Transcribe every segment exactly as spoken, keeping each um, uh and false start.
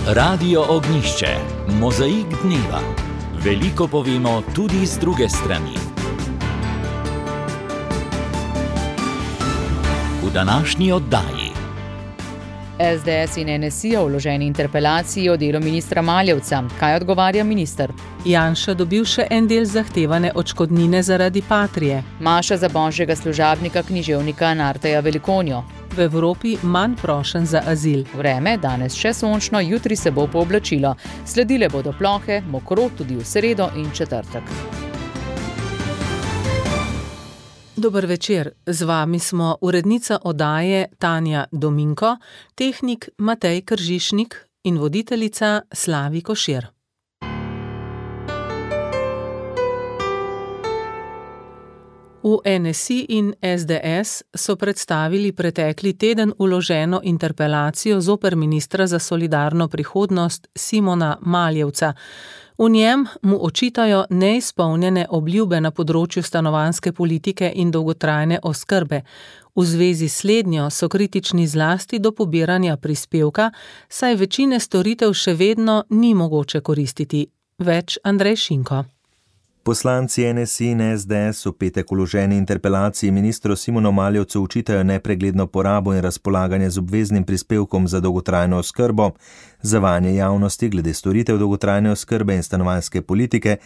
Radio Ognjišče, mozaik dneva. Veliko povemo tudi z druge strani. V današnji oddaji. es de es in en es i o vloženi interpelaciji o delu ministra Maljevca. Kaj odgovarja minister? Janša dobil še en del zahtevane odškodnine zaradi Patrie. Maša za božjega služabnika književnika Narteja Velikonjo. V Evropi manj prošenj za azil. Vreme, danes še sončno, jutri se bo pooblačilo. Sledile bodo plohe, mokro tudi v sredo in četrtek. Dober večer, z vami smo urednica oddaje Tanja Dominko, tehnik Matej Kržišnik in voditeljica Slavi Košir. V en es i in es de es so predstavili pretekli teden vloženo interpelacijo zoper ministra za solidarno prihodnost Simona Maljevca. V njem mu očitajo neizpolnjene obljube na področju stanovanjske politike in dolgotrajne oskrbe. V zvezi s slednjo so kritični zlasti do pobiranja prispevka, saj večine storitev še vedno ni mogoče koristiti. Več Andrej Šinko. Poslanci en es i in es de es v petek vloženi interpelaciji ministru Simonu Maljevcu očitajo nepregledno porabo in razpolaganje z obveznim prispevkom za dolgotrajno oskrbo, zavajanje javnosti glede storitev dolgotrajne oskrbe in stanovanjske politike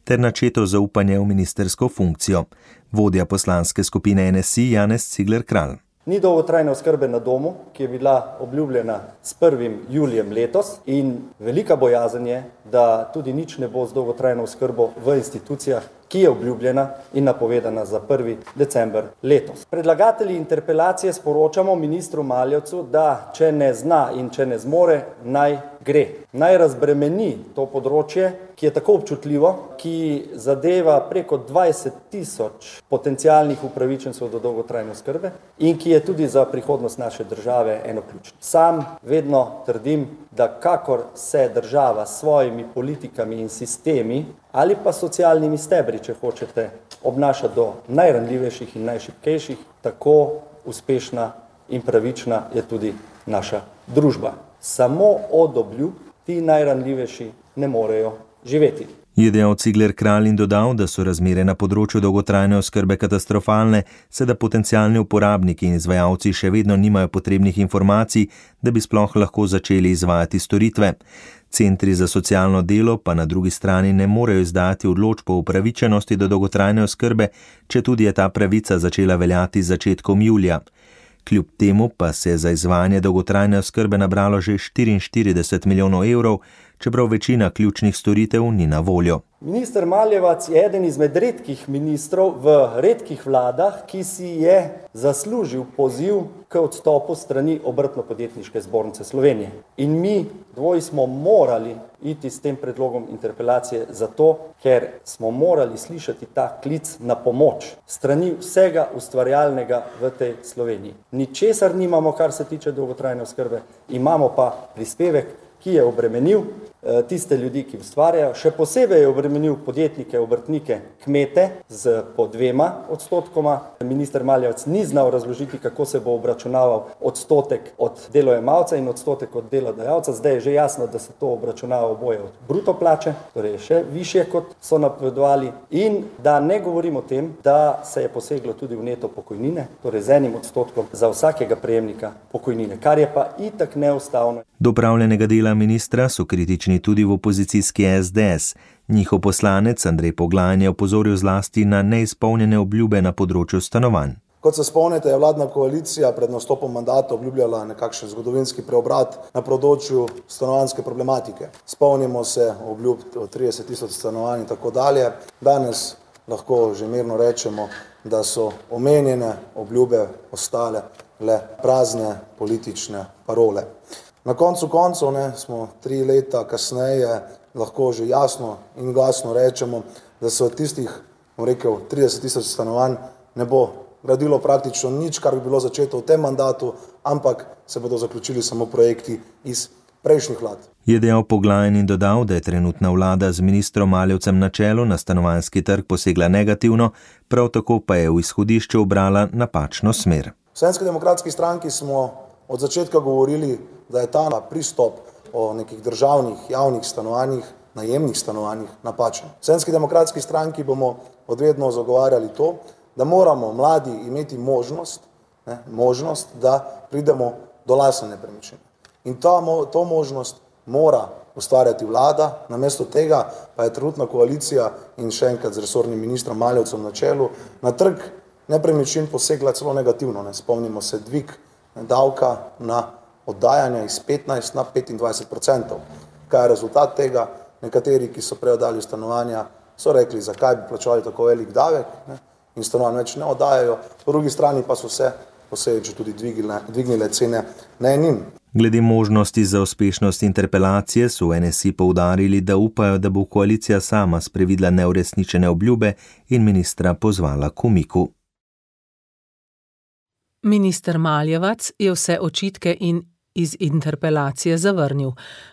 ter načeto zaupanje v ministersko funkcijo. Vodja poslanske skupine en es i Janez Cigler Kralj. Ni dolgotrajne oskrbe na domu, ki je bila obljubljena s prvim julijem letos, in velika bojazen je, da tudi nič ne bo z dolgotrajno oskrbo v institucijah, ki je obljubljena in napovedana za prvi december letos. Predlagatelji interpelacije sporočamo ministru Maljevcu, da če ne zna in če ne zmore, naj gre. Naj razbremeni to področje, ki je tako občutljivo, ki zadeva preko dvajset tisoč potencialnih upravičencev do dolgotrajne oskrbe in ki je tudi za prihodnost naše države eno ključno. Sam vedno trdim, da kakor se država s svojimi politikami in sistemi ali pa socialnimi stebri, če hočete, obnaša do najranljivejših in najšibkejših, tako uspešna in pravična je tudi naša družba. Samo od obljub ti najranljivejši ne morejo živeti. Je dejal Cigler Kralj in dodal, da so razmere na področju dolgotrajne oskrbe katastrofalne, se da potencialni uporabniki in izvajalci še vedno nimajo potrebnih informacij, da bi sploh lahko začeli izvajati storitve. Centri za socialno delo pa na drugi strani ne morejo izdati odločb o upravičenosti do dolgotrajne oskrbe, če tudi je ta pravica začela veljati z začetkom julija. Kljub temu pa se je za izvajanje dolgotrajne oskrbe nabralo že štiriinštirideset milijonov evrov, čeprav večina ključnih storitev ni na voljo. Minister Maljevac je eden izmed redkih ministrov v redkih vladah, ki si je zaslužil poziv k odstopu strani Obrtno-podjetniške zbornice Slovenije. In mi dvoji smo morali iti s tem predlogom interpelacije zato, ker smo morali slišati ta klic na pomoč strani vsega ustvarjalnega v tej Sloveniji. Ničesar nimamo, kar se tiče dolgotrajne oskrbe, imamo pa prispevek, ki je obremenil tiste ljudi, ki ustvarjajo, še posebej je obremenil podjetnike, obrtnike, kmete z po dvema odstotkoma. Minister Maljevec ni znal razložiti, kako se bo obračunaval odstotek od delojemalca in odstotek od delodajalca. Zdaj je že jasno, da se to obračunava oboje od bruto plače, torej še višje, kot so napovedovali, in da ne govorim o tem, da se je poseglo tudi v neto pokojnine, torej z enim odstotkom za vsakega prejemnika pokojnine, kar je pa itak neustavno. Do opravljenega dela ministra so kritični tudi v opozicijski es de es. Njihov poslanec Andrej Poglajen je opozoril zlasti na neizpolnjene obljube na področju stanovanj. Kot se spomnite, je vladna koalicija pred nastopom mandata obljubljala nekakšen zgodovinski preobrat na področju stanovanjske problematike. Spomnimo se obljub o trideset tisoč stanovanj in tako dalje. Danes lahko že mirno rečemo, da so omenjene obljube ostale le prazne politične parole. Na koncu koncev ne, smo tri leta kasneje lahko že jasno in glasno rečemo, da se od tistih, bom rekel, trideset tisoč stanovanj ne bo gradilo praktično nič, kar bi bilo začeto v tem mandatu, ampak se bodo zaključili samo projekti iz prejšnjih vlad. Je dejal Poglajen in dodal, da je trenutna vlada z ministrom Maljevcem na čelu na stanovanjski trg posegla negativno, prav tako pa je v izhodišču ubrala napačno smer. V Slovenski demokratski stranki smo od začetka govorili, da je ta pristop o nekih državnih javnih stanovanjih, najemnih stanovanjih napačen. V Slovenski demokratski stranki bomo odvedno zagovarjali to, da moramo mladi imeti možnost, ne, možnost, da pridemo do lastne nepremičnine. In ta, to možnost mora ustvarjati vlada, namesto tega pa je trenutna koalicija in še enkrat z resornim ministrom Maljevcem na čelu na trg nepremičnin posegla celo negativno. Ne. Spomnimo se dvig davka na oddajanje iz petnajst na petindvajset procentov. Kaj je rezultat tega? Nekateri, ki so prej oddali stanovanja, so rekli, zakaj bi plačevali tako velik davek, ne, in stanovanj več ne oddajajo, po drugi strani pa so se posledično tudi dvignile, dvignile cene najemnin. Glede možnosti za uspešnost interpelacije so v N S I poudarili, da upajo, da bo koalicija sama sprevidla neuresničene obljube in ministra pozvala k umiku. Minister Maljevac je vse očitke in iz interpelacije zavrnil.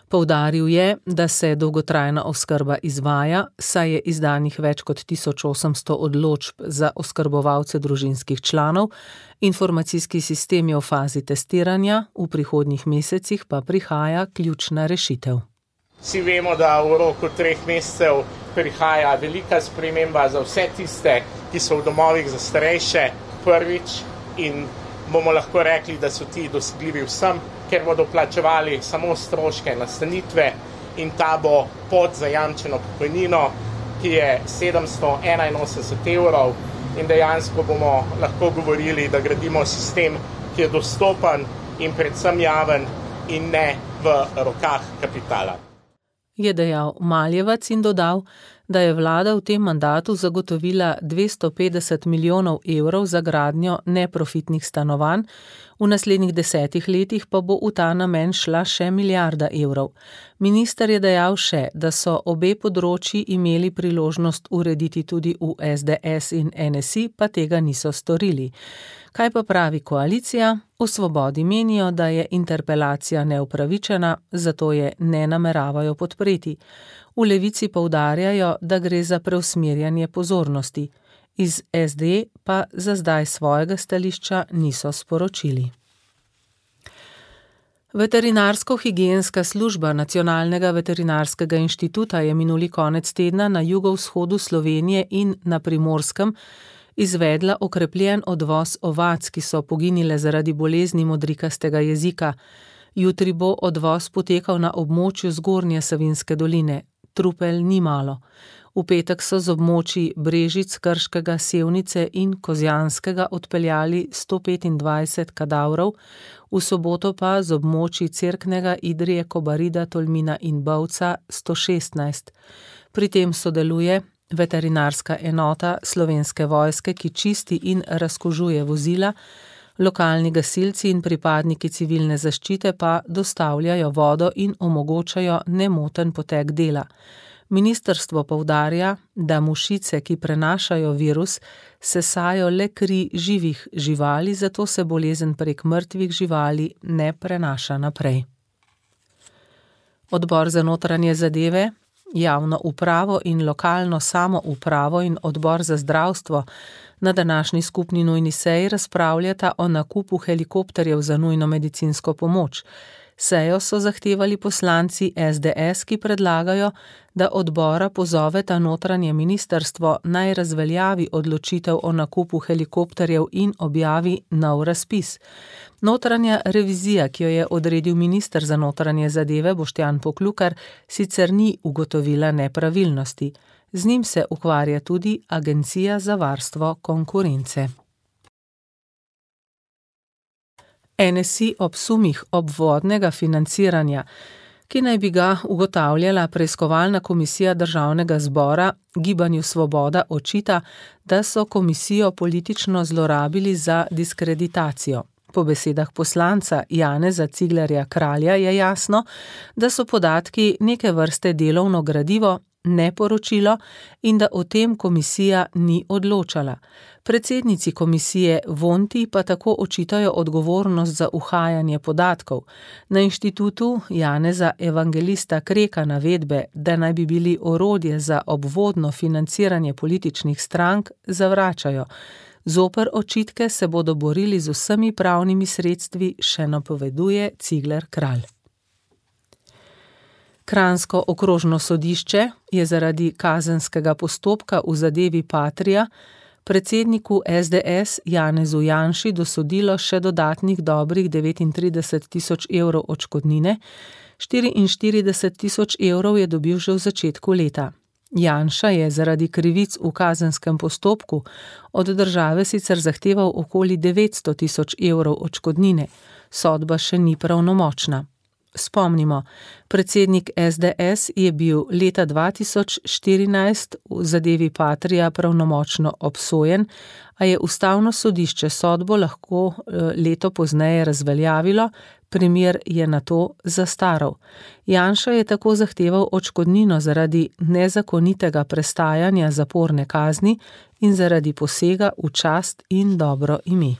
Poudaril je, da se dolgotrajna oskrba izvaja, saj je izdanih več kot tisoč osemsto odločb za oskrbovalce družinskih članov, informacijski sistem je v fazi testiranja, v prihodnjih mesecih pa prihaja ključna rešitev. Vsi vemo, da v roku treh mesecev prihaja velika sprememba za vse tiste, ki so v domovih za starejše prvič, in bomo lahko rekli, da so ti dosegljivi vsem, ker bodo plačevali samo stroške nastanitve, in ta bo pod zajamčeno pokojnino, ki je sedemsto enainosemdeset evrov, in dejansko bomo lahko govorili, da gradimo sistem, ki je dostopen in predvsem javen in ne v rokah kapitala. Je dejal Maljevac in dodal, da je vlada v tem mandatu zagotovila dvesto petdeset milijonov evrov za gradnjo neprofitnih stanovanj, v naslednjih desetih letih pa bo v ta namen šla še milijarda evrov. Minister je dejal še, da so obe področji imeli priložnost urediti tudi v S D S in N S I, pa tega niso storili. Kaj pa pravi koalicija? V Svobodi menijo, da je interpelacija neupravičena, zato je ne nameravajo podpreti. V Levici poudarjajo, da gre za preusmerjanje pozornosti. Iz S D pa za zdaj svojega stališča niso sporočili. Veterinarsko-higienska služba Nacionalnega veterinarskega inštituta je minuli konec tedna na jugovzhodu Slovenije in na Primorskem izvedla okrepljen odvoz ovac, ki so poginile zaradi bolezni modrikastega jezika. Jutri bo odvoz potekal na območju Zgornje Savinjske doline. Trupel ni malo. V petek so z območij Brežic, Krškega, Sevnice in Kozjanskega odpeljali sto petindvajset kadavrov, v soboto pa z območij Cerknega, Idrije, Kobarida, Tolmina in Bovca sto šestnajst. Pri tem sodeluje veterinarska enota Slovenske vojske, ki čisti in razkužuje vozila, lokalni gasilci in pripadniki civilne zaščite pa dostavljajo vodo in omogočajo nemoten potek dela. Ministrstvo poudarja, da mušice, ki prenašajo virus, sesajo le kri živih živali, zato se bolezen prek mrtvih živali ne prenaša naprej. Odbor za notranje zadeve, javno upravo in lokalno samoupravo in odbor za zdravstvo na današnji skupni nujni seji razpravljata o nakupu helikopterjev za nujno medicinsko pomoč. Sejo so zahtevali poslanci S D S, ki predlagajo, da odbora pozoveta notranje ministrstvo naj razveljavi odločitev o nakupu helikopterjev in objavi nov razpis. Notranja revizija, ki jo je odredil minister za notranje zadeve Boštjan Poklukar, sicer ni ugotovila nepravilnosti. Z njim se ukvarja tudi Agencija za varstvo konkurence. N S I ob sumih obvodnega financiranja, ki naj bi ga ugotavljala preiskovalna komisija Državnega zbora, Gibanju Svoboda očita, da so komisijo politično zlorabili za diskreditacijo. Po besedah poslanca Janeza Ciglerja Kralja je jasno, da so podatki neke vrste delovno gradivo, ne poročilo in da o tem komisija ni odločala. Predsednici komisije Vonti pa tako očitajo odgovornost za uhajanje podatkov. Na inštitutu Janeza Evangelista Kreka navedbe, da naj bi bili orodje za obvodno financiranje političnih strank, zavračajo. Zoper očitke se bodo borili z vsemi pravnimi sredstvi, še napoveduje Cigler Kralj. Kranjsko okrožno sodišče je zaradi kazenskega postopka v zadevi Patria predsedniku es de es Janezu Janši dosodilo še dodatnih dobrih devetintrideset tisoč evrov odškodnine, štiriinštirideset tisoč evrov je dobil že v začetku leta. Janša je zaradi krivic v kazenskem postopku od države sicer zahteval okoli devetsto tisoč evrov odškodnine, sodba še ni pravnomočna. Spomnimo, predsednik es de es je bil leta dva tisoč štirinajst v zadevi Patria pravnomočno obsojen, a je ustavno sodišče sodbo lahko leto pozneje razveljavilo, primer je nato zastaral. Janša je tako zahteval odškodnino zaradi nezakonitega prestajanja zaporne kazni in zaradi posega v čast in dobro ime.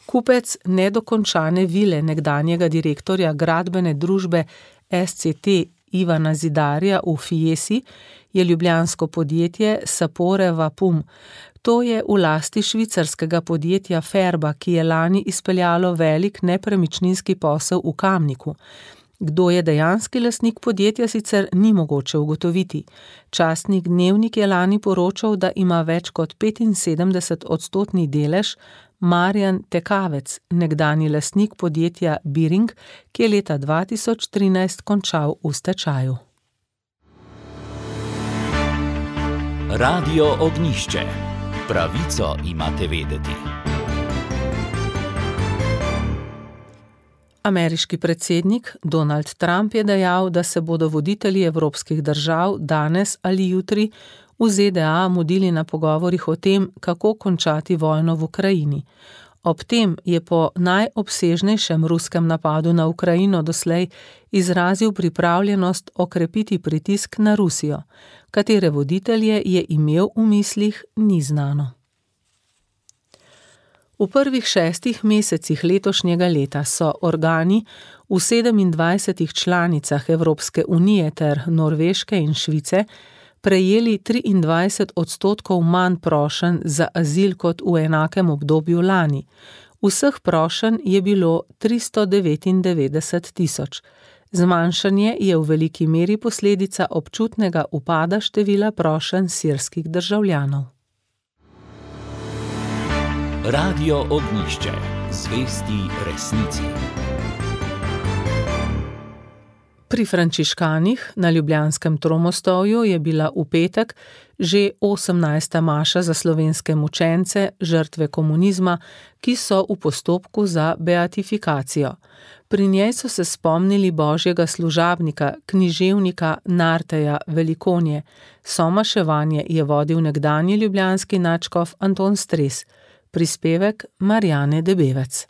Kupec nedokončane vile nekdanjega direktorja gradbene družbe es ce te Ivana Zidarja v Fiesi je ljubljansko podjetje Sapore Vapum. To je v lasti švicarskega podjetja Ferba, ki je lani izpeljalo velik nepremičninski posel v Kamniku. Kdo je dejanski lastnik podjetja, sicer ni mogoče ugotoviti. Časnik Dnevnik je lani poročal, da ima več kot petinsedemdeset odstotni delež Marjan Tekavec, nekdanji lastnik podjetja Biring, ki je leta dva tisoč trinajst končal v stečaju. Radio Ognjišče. Pravico imate vedeti. Ameriški predsednik Donald Trump je dejal, da se bodo voditelji evropskih držav danes ali jutri v ze de a mudili na pogovorih o tem, kako končati vojno v Ukrajini. Ob tem je po najobsežnejšem ruskem napadu na Ukrajino doslej izrazil pripravljenost okrepiti pritisk na Rusijo. Katere voditelje je imel v mislih, ni znano. V prvih šestih mesecih letošnjega leta so organi v sedemindvajsetih članicah Evropske unije ter Norveške in Švice prejeli triindvajset odstotkov manj prošenj za azil kot v enakem obdobju lani. Vseh prošenj je bilo tristo devetindevetdeset tisoč. Zmanjšanje je v veliki meri posledica občutnega upada števila prošenj sirskih državljanov. Radio Ognjišče. Zvesti resnici. Pri frančiškanih na ljubljanskem Tromostovju je bila v petek že osemnajsta maša za slovenske mučence, žrtve komunizma, ki so v postopku za beatifikacijo. Pri njej so se spomnili božjega služabnika, književnika Narteja Velikonje. Somaševanje je vodil nekdanji ljubljanski nadškof Anton Stres. Prispevek Marjane Debevec.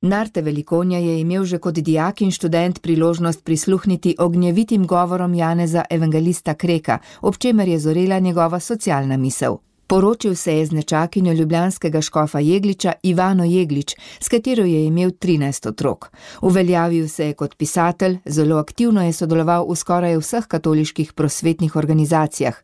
Narte Velikonja je imel že kot dijak in študent priložnost prisluhniti ognjevitim govorom Janeza Evangelista Kreka, ob čemer je zorela njegova socialna misel. Poročil se je z nečakinjo ljubljanskega škofa Jegliča Ivano Jeglič, s katero je imel trinajst otrok. Uveljavil se je kot pisatelj, zelo aktivno je sodeloval v skoraj vseh katoliških prosvetnih organizacijah.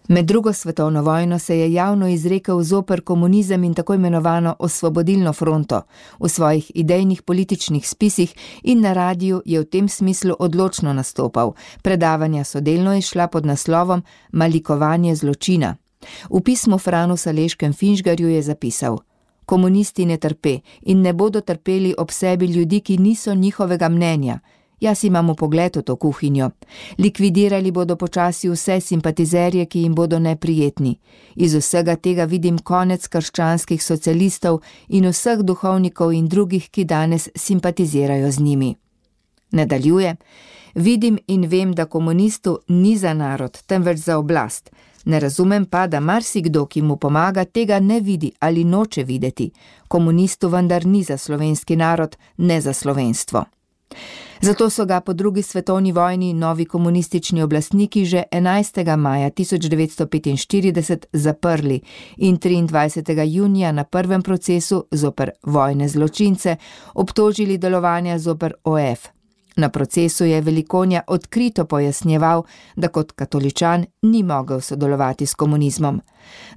Med drugo svetovno vojno se je javno izrekel zoper komunizem in tako imenovano Osvobodilno fronto. V svojih idejnih političnih spisih in na radiju je v tem smislu odločno nastopal. Predavanja so delno izšla pod naslovom Malikovanje zločina. V pismu Franu Saleškem Finžgarju je zapisal: Komunisti ne trpe in ne bodo trpeli ob sebi ljudi, ki niso njihovega mnenja. Jaz imam pogled v to kuhinjo. Likvidirali bodo počasi vse simpatizerje, ki jim bodo neprijetni. Iz vsega tega vidim konec krščanskih socialistov in vseh duhovnikov in drugih, ki danes simpatizirajo z njimi. Nadaljuje: Vidim in vem, da komunistu ni za narod, temveč za oblast. Ne razumem pa, da marsikdo, ki mu pomaga, tega ne vidi ali noče videti. Komunistu vendar ni za slovenski narod, ne za slovenstvo. Zato so ga po drugi svetovni vojni novi komunistični oblastniki že enajstega maja tisoč devetsto petinštirideset zaprli in triindvajsetega junija na prvem procesu zoper vojne zločince obtožili delovanja zoper o ef. Na procesu je Velikonja odkrito pojasnjeval, da kot katoličan ni mogel sodelovati s komunizmom.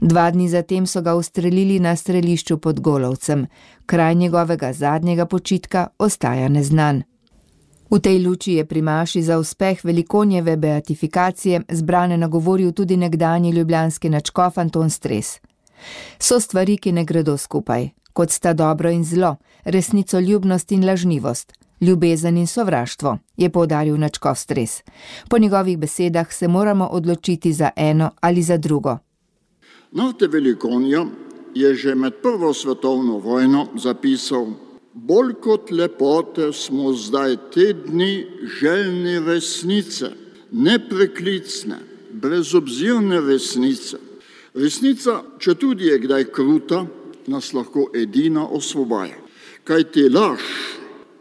Dva dni zatem so ga ustrelili na strelišču pod Golovcem. Kraj njegovega zadnjega počitka ostaja neznan. V tej luči je pri maši za uspeh Velikonjeve beatifikacije zbrane nagovoril tudi nekdanji ljubljanski nadškof Anton Stres. So stvari, ki ne gredo skupaj, kot sta dobro in zlo, resnicoljubnost in lažnivost, ljubezen in sovraštvo, je poudaril nadškof Stres. Po njegovih besedah se moramo odločiti za eno ali za drugo. Nate Velikonja je že med prvo svetovno vojno zapisal: bolj kot lepote smo zdaj te dni željni resnice, nepreklicne, brezobzirne resnice. Resnica, če tudi je kdaj kruta, nas lahko edina osvobaja. Kaj ti laž,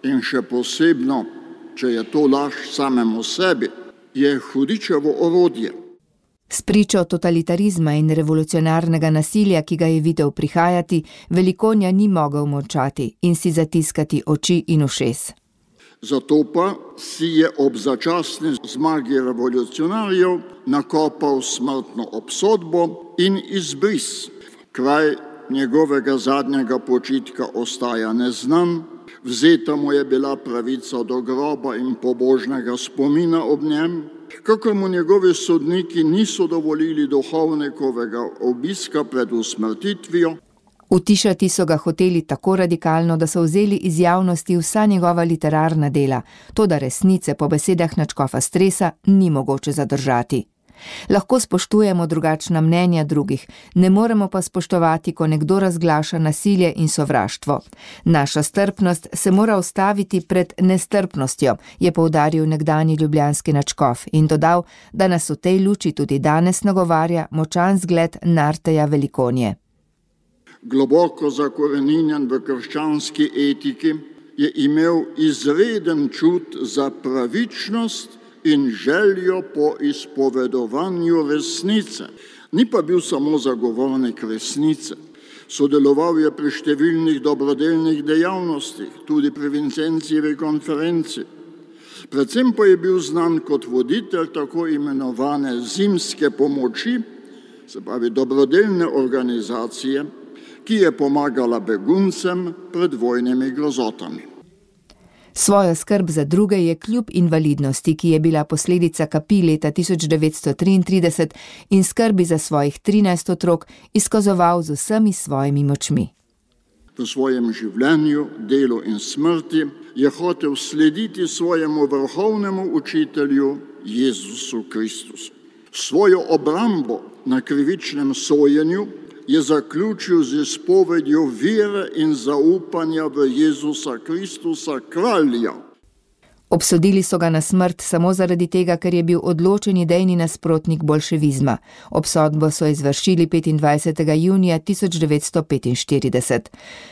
in še posebno, če je to laž samemu sebi, je hudičevo orodje. S pričo totalitarizma in revolucionarnega nasilja, ki ga je videl prihajati, Velikonja ni mogel molčati in si zatiskati oči in ušes. Zato pa si je ob začasni zmagi revolucionarjev nakopal smrtno obsodbo in izbris. Kraj njegovega zadnjega počitka ostaja neznan, vzeta mu je bila pravica do groba in pobožnega spomina ob njem, kakor mu njegovi sodniki niso dovolili duhovnikovega obiska pred usmrtitvijo. Utišati so ga hoteli tako radikalno, da so vzeli iz javnosti vsa njegova literarna dela, toda resnice po besedah nadškofa Stresa ni mogoče zadržati. Lahko spoštujemo drugačna mnenja drugih, ne moremo pa spoštovati, ko nekdo razglaša nasilje in sovraštvo. Naša strpnost se mora ustaviti pred nestrpnostjo, je poudaril nekdanji ljubljanski nadškof in dodal, da nas v tej luči tudi danes nagovarja močan zgled Narteja Velikonje. Globoko zakoreninjen v krščanski etiki je imel izreden čut za pravičnost in željo po izpovedovanju resnice. Ni pa bil samo zagovornik resnice. Sodeloval je pri številnih dobrodelnih dejavnostih, tudi pri Vincencijevi konferenci. Predvsem pa je bil znan kot voditelj tako imenovane zimske pomoči, se pravi dobrodelne organizacije, ki je pomagala beguncem pred vojnimi grozotami. Svojo skrb za druge je kljub invalidnosti, ki je bila posledica kapi leta tisoč devetsto triintrideset, in skrbi za svojih trinajst otrok izkazoval z vsemi svojimi močmi. V svojem življenju, delu in smrti je hotel slediti svojemu vrhovnemu učitelju Jezusu Kristusu. Svojo obrambo na krivičnem sojenju je zaključil z izpovedjo vere in zaupanja v Jezusa Kristusa, kralja. Obsodili so ga na smrt samo zaradi tega, ker je bil odločen idejni nasprotnik boljševizma. Obsodbo so izvršili petindvajsetega junija tisoč devetsto petinštirideset.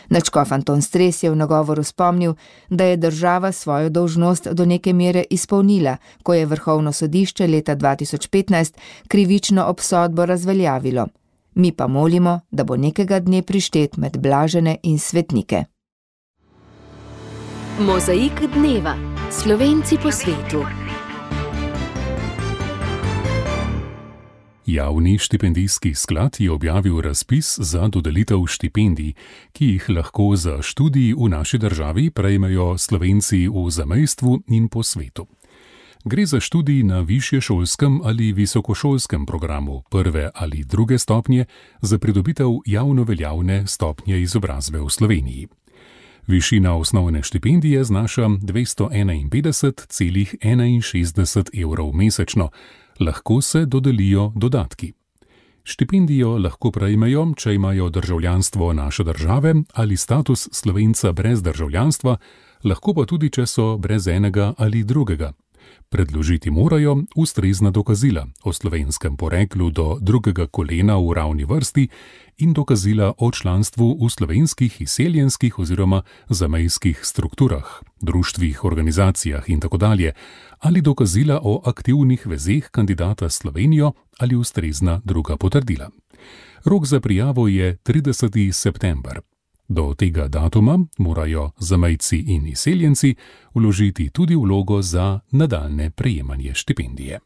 Nadškof Anton Stres je v nagovoru spomnil, da je država svojo dolžnost do neke mere izpolnila, ko je Vrhovno sodišče leta dva tisoč petnajst krivično obsodbo razveljavilo. Mi pa molimo, da bo nekega dne prištet med blažene in svetnike. Mozaik dneva. Slovenci po svetu. Javni štipendijski sklad je objavil razpis za dodelitev štipendij, ki jih lahko za študij v naši državi prejmejo Slovenci v zamejstvu in po svetu. Gre za študij na višješolskem ali visokošolskem programu prve ali druge stopnje za pridobitev javno veljavne stopnje izobrazbe v Sloveniji. Višina osnovne štipendije znaša dvesto enainpetdeset celih enainšestdeset evrov mesečno, lahko se dodelijo dodatki. Štipendijo lahko prejmejo, če imajo državljanstvo naše države ali status Slovenca brez državljanstva, lahko pa tudi, če so brez enega ali drugega. Predložiti morajo ustrezna dokazila o slovenskem poreklu do drugega kolena v ravni vrsti in dokazila o članstvu v slovenskih izseljenskih oziroma zamejskih strukturah, društvih, organizacijah in tako dalje, ali dokazila o aktivnih vezeh kandidata s Slovenijo ali ustrezna druga potrdila. Rok za prijavo je trideseti september. Do tega datuma morajo zamejci in izseljenci vložiti tudi vlogo za nadaljnje prejemanje štipendije.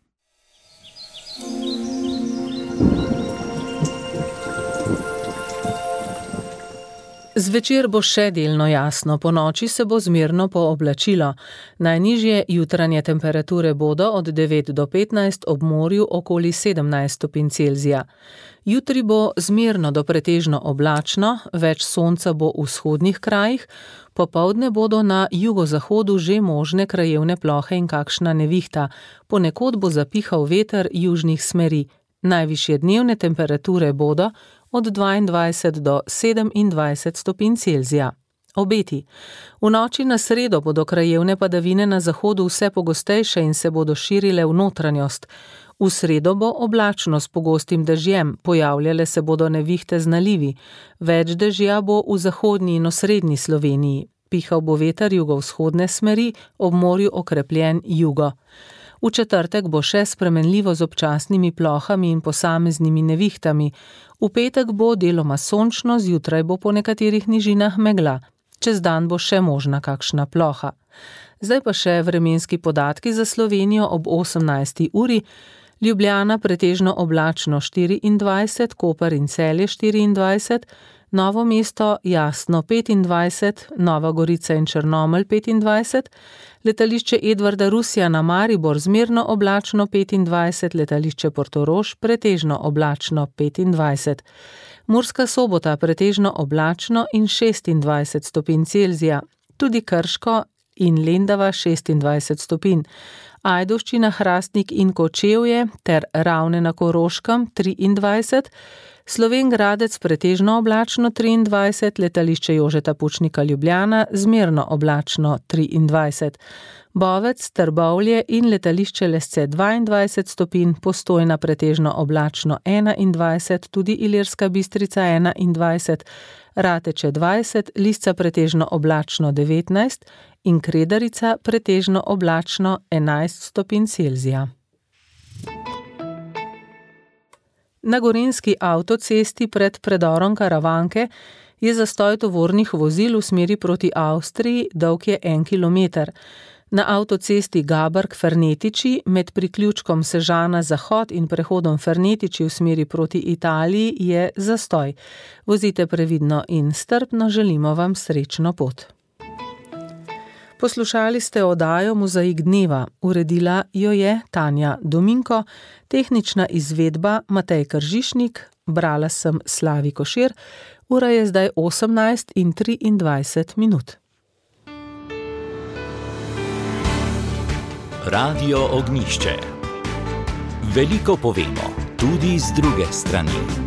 Zvečer bo še delno jasno, po noči se bo zmerno pooblačilo. Najnižje jutranje temperature bodo od devet do petnajst, ob morju okoli sedemnajst stopinj Celzija. Jutri bo zmerno do pretežno oblačno, več sonca bo v vzhodnih krajih, popoldne bodo na jugozahodu že možne krajevne plohe in kakšna nevihta, ponekod bo zapihal veter južnih smeri. Najvišje dnevne temperature bodo od dvaindvajset do sedemindvajset stopinj Celzija. Obeti. V noči na sredo bodo krajevne padavine na zahodu vse pogostejše in se bodo širile v notranjost. V sredo bo oblačno s pogostim dežjem, pojavljale se bodo nevihte z nalivi. Več dežja bo v zahodni in osrednji Sloveniji. Pihal bo veter jugovzhodne smeri, ob morju okrepljen jugo. V četrtek bo še spremenljivo z občasnimi plohami in posameznimi nevihtami. V petek bo deloma sončno, zjutraj bo po nekaterih nižinah megla. Čez dan bo še možna kakšna ploha. Zdaj pa še vremenski podatki za Slovenijo ob osemnajsti uri. Ljubljana pretežno oblačno štiriindvajset, Koper in Celje štiriindvajset, Novo mesto jasno petindvajset, Nova Gorica in Črnomelj petindvajset, letališče Edvarda Rusija na Maribor zmerno oblačno petindvajset, letališče Portorož pretežno oblačno petindvajset. Murska Sobota pretežno oblačno in šestindvajset stopinj Celzija, tudi Krško in Lendava šestindvajset stopinj. Ajdovščina, Hrastnik in Kočevje ter Ravne na Koroškem triindvajset, Slovenj Gradec pretežno oblačno triindvajset, letališče Jožeta Pučnika Ljubljana zmerno oblačno triindvajset. Bovec, Trbovlje in letališče Lesce dvaindvajset stopinj, Postojna pretežno oblačno enaindvajset, tudi Ilirska Bistrica enaindvajset, Rateče dvajset, Lisca pretežno oblačno devetnajst in Kredarica pretežno oblačno enajst stopinj Celzija. Na gorenjski avtocesti pred predorom Karavanke je zastoj tovornih vozil v smeri proti Avstriji, dolg je en kilometer. Na avtocesti Gaberg-Fernetiči med priključkom Sežana-Zahod in prehodom Fernetiči v smeri proti Italiji je zastoj. Vozite previdno in strpno, želimo vam srečno pot. Poslušali ste oddajo Mozaik dneva, uredila jo je Tanja Dominko, tehnična izvedba Matej Kržišnik, brala sem Slavi Košir, ura je zdaj osemnajst in triindvajset minut. Radio Ognjišče. Veliko povemo, tudi z druge strani.